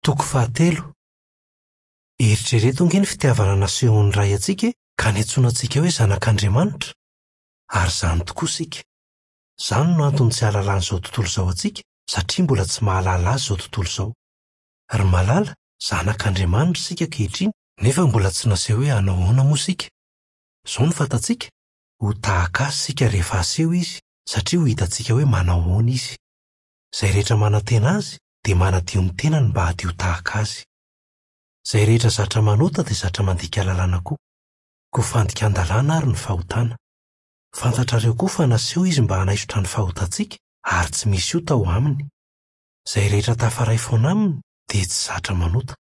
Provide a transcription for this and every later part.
Toko fahatelo. Eritrereto ange ny fitiavana nasehon'ny Ray antsika e, ka niantsoana antsika hoe zanak'Andriamanitra. Ary izany tokoa isika. Izany no antony tsy ahalalan'izao tontolo izao antsika, satria mbola tsy mahalala Azy izao tontolo izao. Ry malala, zanak'Andriamanitra isika ankehitriny, nefa mbola tsy naseho hoe hanao ahoana moa isika. Izao no fantatsika, ho tahaka Azy isika rehefa haseho Izy, satria ho hitantsika hoe manao ahoana Izy. Izay rehetra manantena Azy dia manadio ny tenany mba hadio tahaka Azy. Izay rehetra zatra manota dia zatra mandika lalàna koa. Koa fandikan-dalàna àry ny fahotana. Fantatrareo koa fa naseho Izy mba hanaisotra ny fahotantsika, ary tsy misy ota ao Aminy. Izay rehetra tafaray foana Aminy dia tsy zatra manota.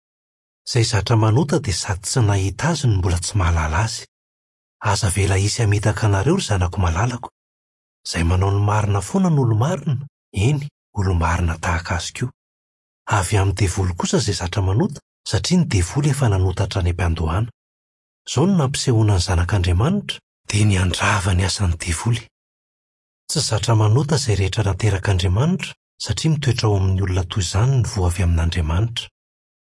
Izay zatra manota dia sady tsy nahita Azy no mbola tsy mahalala Azy. Aza avela hisy hamitaka anareo, ry zanako malalako. Izay manao ny marina foana no olo-marina, eny, olo-marina tahaka azy koa. Avy amin'ny devoly kosa izay zatra manota, satria ny devoly efa nanota hatrany am-piandohana. Izao no nampisehoana ny Zanak'Andriamanitra, dia ny handrava ny asan'ny devoly. Tsy zatra manota izay rehetra naterak'Andriamanitra, satria mitoetra ao amin'ny olona toy izany ny voa avy amin'Andriamanitra.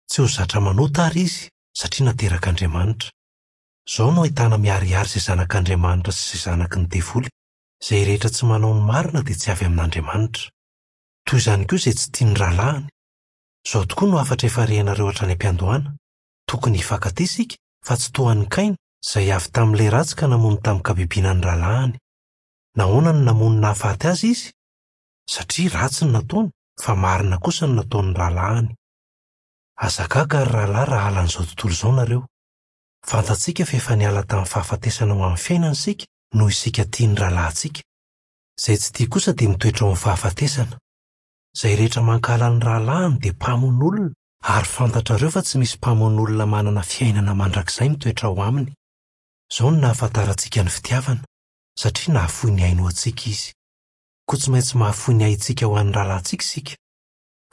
Tsy ho zatra manota àry izy, satria naterak'Andriamanitra. Izao no ahitana miharihary izay zanak'Andriamanitra sy izay zanaky ny devoly, Izay rehetra tsy manao ny marina dia tsy avy amin'Andriamanitra. Toy izany koa izay tsy tia ny rahalahiny. Izao tokoa no hafatra efa rehinareo hatrany am-piandohana, Tokony hifankatia isika, fa tsy toa an'i Kaina, izay avy tamin'ilay ratsy ka namono tamin-kabibiana ny rahalahiny. Nahoana no namono nahafaty azy izy? Satria ratsy ny nataony, fa marina kosa ny nataon'ny rahalahiny. Aza gaga, ry rahalahy, raha halan'izao tontolo izao nareo. Fantatsika fa efa niala tamin'ny fahafatesana ho amin'ny fiainana isika, noho isika tia ny rahalahintsika. Izay tsy tia kosa dia mitoetra ao amin'ny fahafatesana. Izay rehetra mankahala ny rahalahiny dia mpamono olona, ary fantatrareo fa tsy misy mpamono olona manana fiainana mandrakizay mitoetra ao aminy. Izao no nahafantarantsika ny fitiavana, satria nahafoy ny ainy ho antsika Izy. Koa tsy maintsy mahafoy ny aintsika ho an'ny rahalahintsika isika.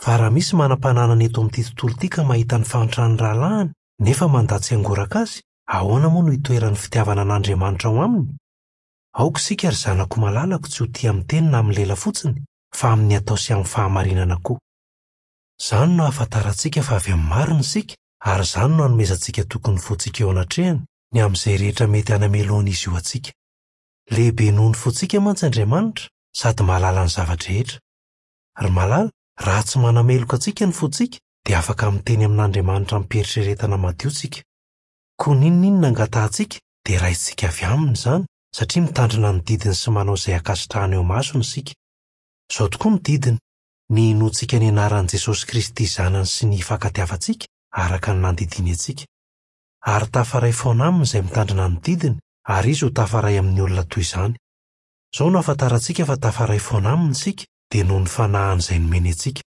Fa raha misy manam-pananana eto amin'ity tontolo ity ka mahita ny fahantran'ny rahalahiny, nefa mandà tsy hangoraka azy, ahoana moa no hitoeran'ny fitiavana an'Andriamanitra ao aminy? Aoka isika, ry zanako malalako, tsy ho tia amin'ny teny na amin'ny lela fotsiny, fa amin'ny atao sy amin'ny fahamarinana koa. Izany no ahafantarantsika fa avy amin'ny marina isika, ary izany no anomezantsika toky ny fontsika eo anatrehany, ny amin'izay rehetra mety hanamelohan'izy io antsika. Lehibe noho ny fontsika mantsy Andriamanitra, sady mahalala ny zava-drehetra. Ry malala, raha tsy manameloka antsika ny fontsika, dia afaka miteny amin'Andriamanitra amim-pieritreretana madio isika. Koa n'inon'inona angatahantsika, dia raisintsika avy aminy izany, satria mitandrina ny didiny sy manao izay ankasitrahany eo imasony isika. Izao tokoa no didiny, ny hinoantsika ny anaran'i Jesosy Kristy Zanany sy ny hifankatiavantsika araka ny nandidiany antsika. Ary tafaray foana aminy izay mitandrina ny didiny, ary izy ho tafaray amin'ny olona toy izany. Izao no ahafantarantsika fa tafaray foana aminy isika, dia noho ny fanahiny izay nomeny antsika.